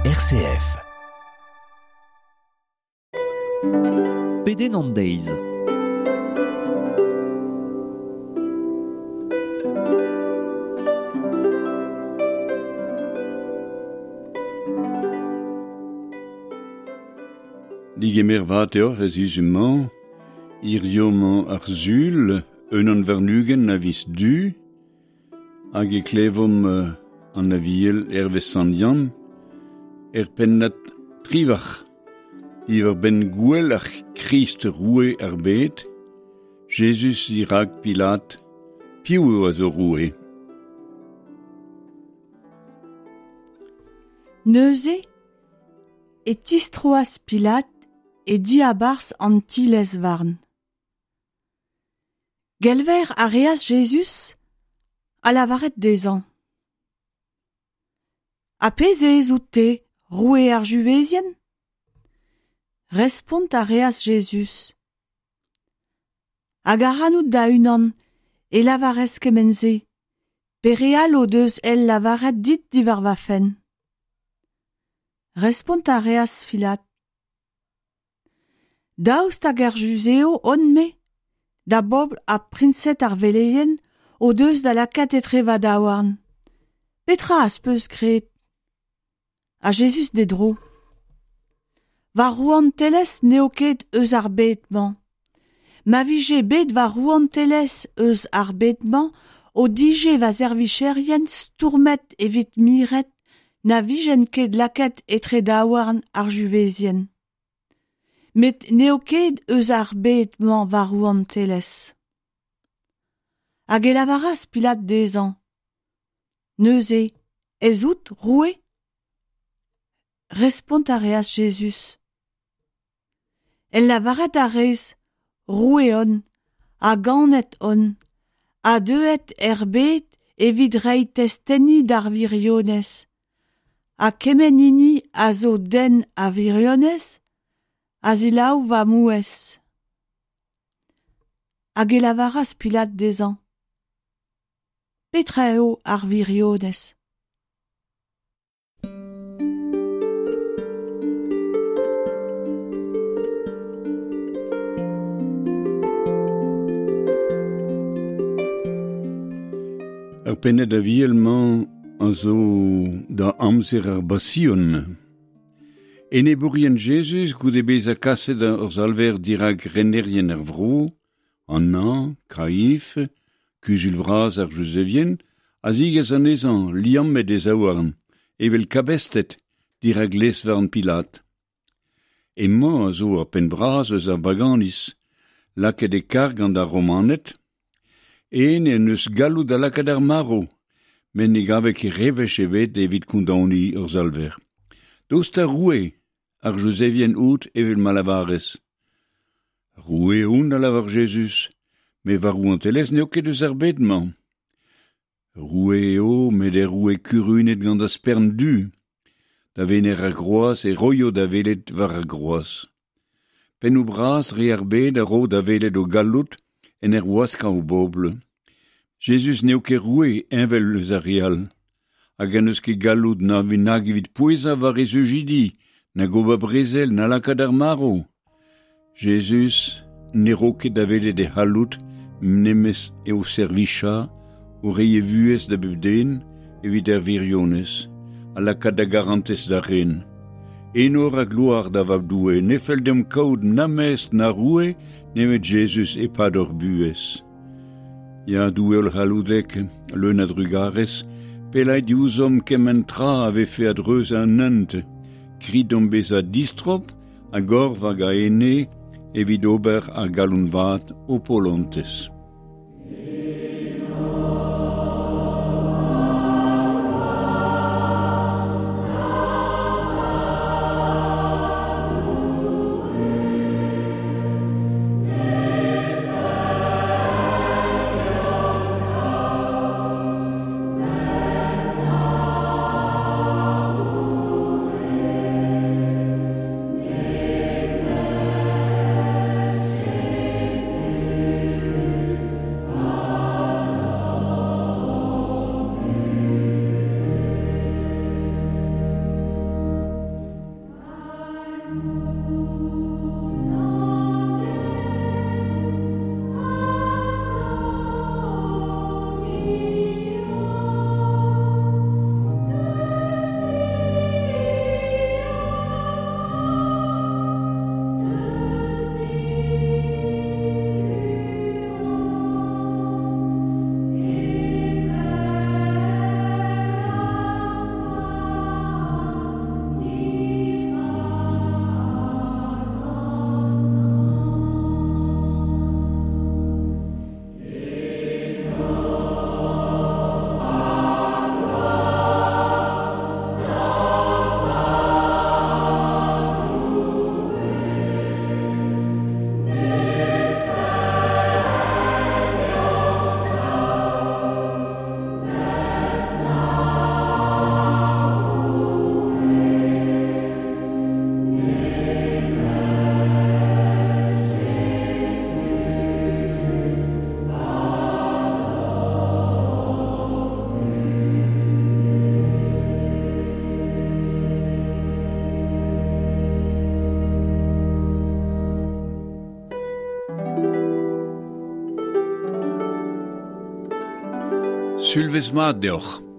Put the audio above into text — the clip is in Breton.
RCF. Pedenn an deiz. Digemer vat eo ez izummañ, hirio mañ ar sul, unan warn-ugent a viz Du, hag e klevomp an aviel hervez Sant Yann, er pennad trivac'h, diwar benn gwell ar Christ roue ar bed, Jezuz dirak Pilat, piv eo a zo roue? Neuze e tistroas Pilat e diabarzh an ti-lez-varn. Gelver a reas Jezuz ha lavaret dezhañ. Ha pezh ez out-te, roue ar Juvezien? Respont a reas Jezuz. Hag ac'hanout da-unan e lavarez kement-se, pe re all o deus el lavaret dit diwar va fenn. Respont a reas Pilat. Daoust hag ar Juzeo on-me? Da bobl ha priñsed ar veleien o deus da lakaat etre va daouarn. Petra az peus graet? Ha Jezuz d'e dro. Va rouantelezh n'eo ket eus ar bed-mañ. Ma vije bet va rouantelezh eus ar bed-mañ o dije va servijerien stourmet evit miret na vijen ket lakaet etre daouarn ar Juvezien. Met n'eo ket eus ar bed-mañ va rouantelezh. Hag e lavaras Pilat dezhañ. Neuze, ez out roue? Respont a reas Jezuz. El lavaret a rez, roue on, ha ganet on, ha deuet er bed evit reiñ testeni d'ar wirionez. Ha kement hini a zo den a wirionez, a selaou va mouezh. Hag e lavaras Pilat dezhañ. Petra eo ar wirionez? Ar pennad aviel-mañ a zo da amzer ar Basion. Enebourien Jezuz goude bezañ kaset ur salver dirak renerien ar vro, Anna, Kaif, Kuzul vras ar Juzevien, a zigas anezhañ liammet e zaouarn, evel kabestet dirak lez-varn Pilat. Emañ a zo ar penn bras eus ar baganiz, lakaet e karg gant ar Romaned. En en deus galloud da lakaat ar marv, met ne gave ket rebech ebet evit kondaoniñ ur salver. Daoust ha roue ar Juzevien out evel ma lavarez? Roue on a lavar Jezuz, met va rouantelezh n'eo ket eus ar bed-mañ. Roue eo, met er roue kurunet gant ar spern du. Da wener ar groaz e roio da welet war ar groaz. Pennoù bras re ar bed a ro da welet o galloud en ur waskañ o bobl. Jezuz n'eo ket roue heñvel eus ar re all, hag en deus ket galloud na nag evit pouezañ war e sujidi, nag ober brezel, na lakaat ar marv. Jezuz ne ro ket da welet e c'halloud nemet eo servichañ o reiñ e vuhez da bep den evit ar wirionez, ha lakaat da garantez da ren. Enor ha gloar da Vab Doue, ne fell deomp kaout na mestr na roue nemet Jezuz e-pad hor buhez. Ya, Doue hollc'halloudek, leun a drugarez, pellait diouzhomp kement tra a vefe a-dreuz an hent, grit deomp bezañ distrob a gorf hag a ene evit ober ar galon vat ho polontez. Sulvezh mat deoc'h.